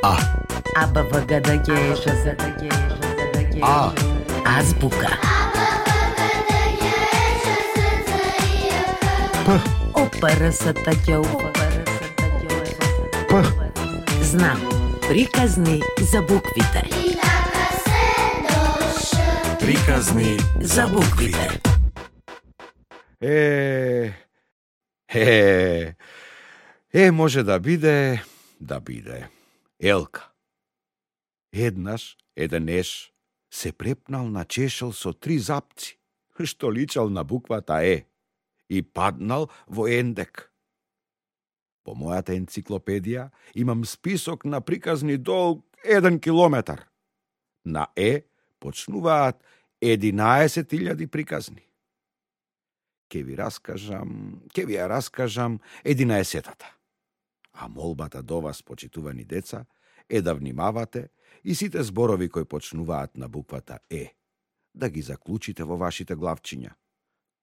А. А. Азбука. П. Знам. Приказни за буквите. Приказни За буквите. Може да биде. Елка. Еднаш, еден еш се препнал на чешел со 3 запци, што личал на буквата Е, и паднал во ендек. По мојата енциклопедија имам список на приказни долг 1 километар. На Е почнуваат 11.000 приказни. Ке ви ја раскажам 11-тата. А молбата до вас, почитувани деца, е да внимавате и сите зборови кои почнуваат на буквата Е, да ги заклучите во вашите главчиња.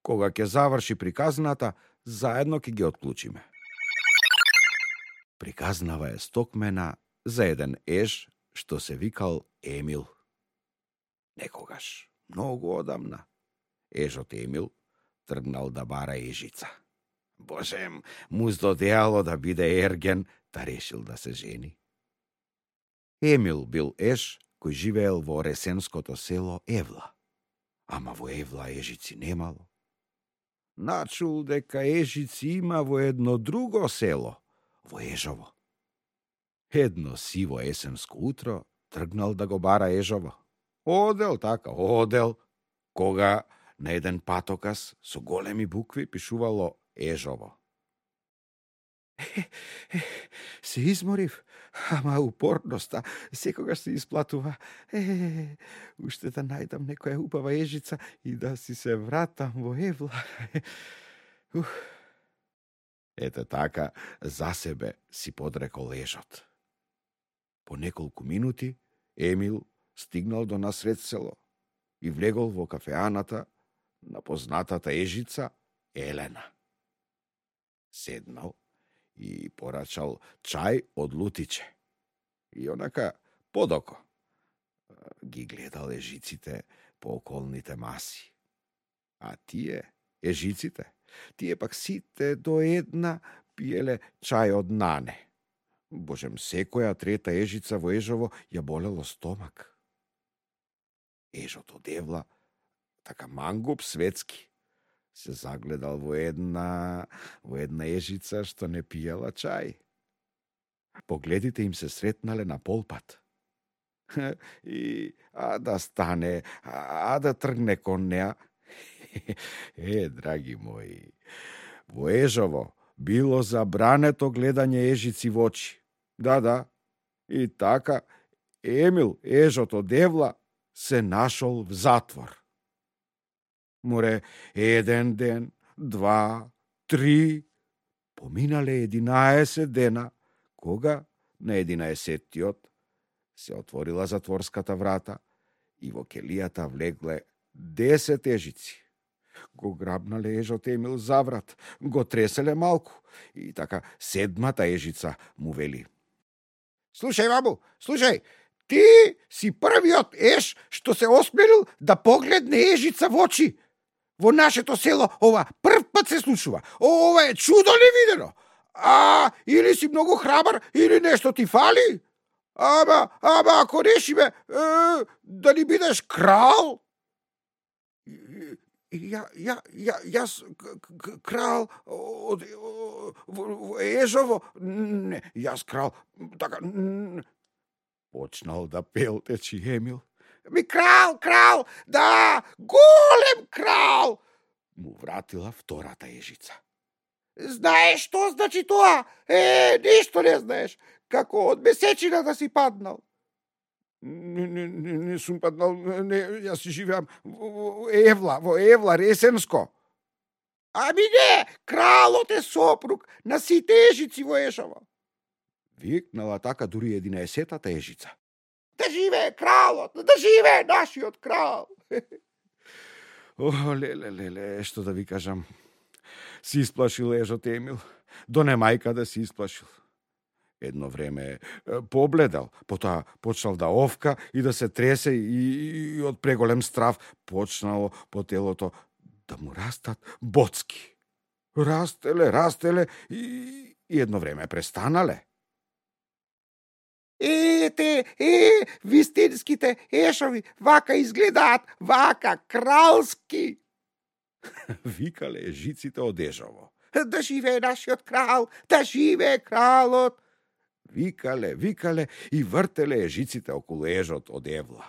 Кога ќе заврши приказната, заедно ќе ги отклучиме. Приказнава е стокмена за еден еж што се викал Емил. Некогаш, многу одамна, ежот Емил тргнал да бара ежица. Божем, му здодеало да биде ерген, та решил да се жени. Емил бил еж кој живеел во ресенското село Евла. Ама во Евла ежици немало. Начул дека ежици има во едно друго село, во Ежово. Едно сиво есенско утро тргнал да го бара ежово. Одел, кога на еден патокас со големи букви пишувало Ежово. Се изморив, ама упорноста секогаш се исплатува. Уште да најдам некоја убава ежица и да си се вратам во Евла. Ете така, за себе си подрекол ежот. По неколку минути Емил стигнал до насред село и влегол во кафеаната на познатата ежица Елена. Седнал и порачал чај од лутиче. И онака подоко ги гледал ежиците по околните маси. А ежиците, пак сите до една пиеле чај од нане. Божем, секоја трета ежица во Ежово ја болело стомак. Ежот од Евла, така мангуп светски, се загледал во една ежица што не пиела чај. Погледите им се сретнале на полпат. И да стане, да тргне кон неа. Драги мои, во Ежово било забрането гледање ежици во очи. Да, и така Емил, ежот од Евла, се нашол в затвор. Море, 1 ден, 2, 3, поминале 11 дена, кога на 11-тиот се отворила затворската врата и во келијата влегле 10 ежици. Го грабнале ежот Емил за врат, го треселе малку и така 7-та ежица му вели: Слушај, бабу, ти си првиот еж што се осмелил да погледне ежица во очи. Во нашето село ова прв пат се случува. Ова е чудо невидено. Или си многу храбар, или нешто ти фали. Ама ако решиме да ни бидеш крал. Јас крал од Ежово. Не, јас крал. Така почнал да пелтечи Емил. Крал, да, голем крал, му вратила втората ежица. Знаеш што значи тоа? Ништо не знаеш. Како од месечина да си паднал. Не сум паднал, јас си живеам во Евла, Ресенско. Ами не, кралот е сопруг на сите ежици во Ежово. Викнала така дури 11-тата ежица. Да живее кралот, да живее нашиот крал. Леле, што да ви кажам. Си исплашил ежот Емил. До немајка да си исплашил. Едно време побледел, потоа почнал да овка и да се тресе и од преголем страв почнало по телото да му растат боцки. Растеле и едно време престанале. Вистинските ешови, вака изгледаат, вака кралски. Викале ежиците од Ежово. Да живее нашиот крал, да живее кралот. Викале и вртеле ежиците околу ежот од Евла.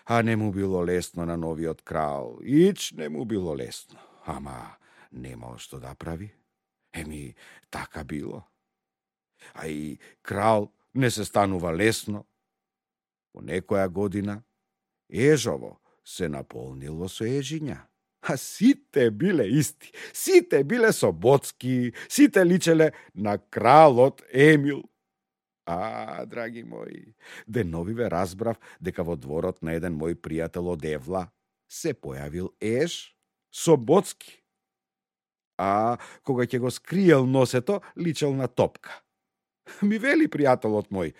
А не му било лесно на новиот крал, ич не му било лесно. Ама немал што да прави. Така било. А и крал не се станува лесно. По некоја година Ежово се наполнило со ежиња. А сите биле исти, сите биле со боцки, сите личеле на кралот Емил. Драги мои, деновиве разбрав дека во дворот на еден мој пријател од Евла се појавил еж со боцки. А кога ќе го скриел носето, личел на топка. Ми вели пријателот мој: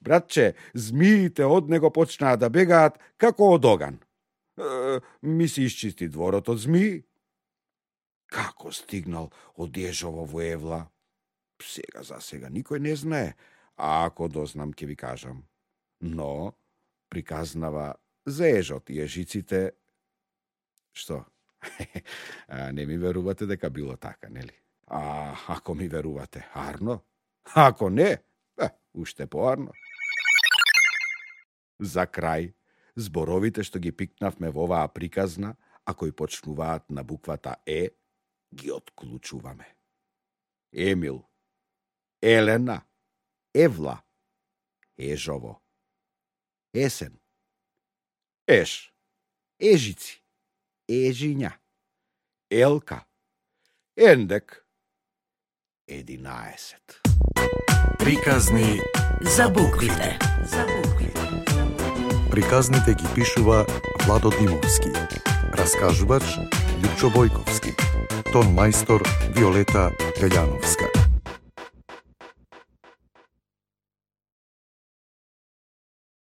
братче, змиите од него почнаа да бегаат како од оган. Ми се исчисти дворот од змии. Како стигнал од Ежово во Евла? Сега за сега никој не знае, а ако дознам ќе ви кажам. Но приказнава за ежот и ежиците. Што? Не ми верувате дека било така, нели? Ако ми верувате, арно. Ако не, уште поарно. За крај, зборовите што ги пикнавме во оваа приказна, а кои почнуваат на буквата Е, ги отклучуваме. Емил, Елена, Евла, Ежово, Есен, Еш, Ежици, Ежиња, Елка, Ендек, 11. Приказни За буквите. Приказните ги пишува Владо Димовски. Раскажувач Лјупчо Бојковски. Тон мајстор Виолета Пељановска.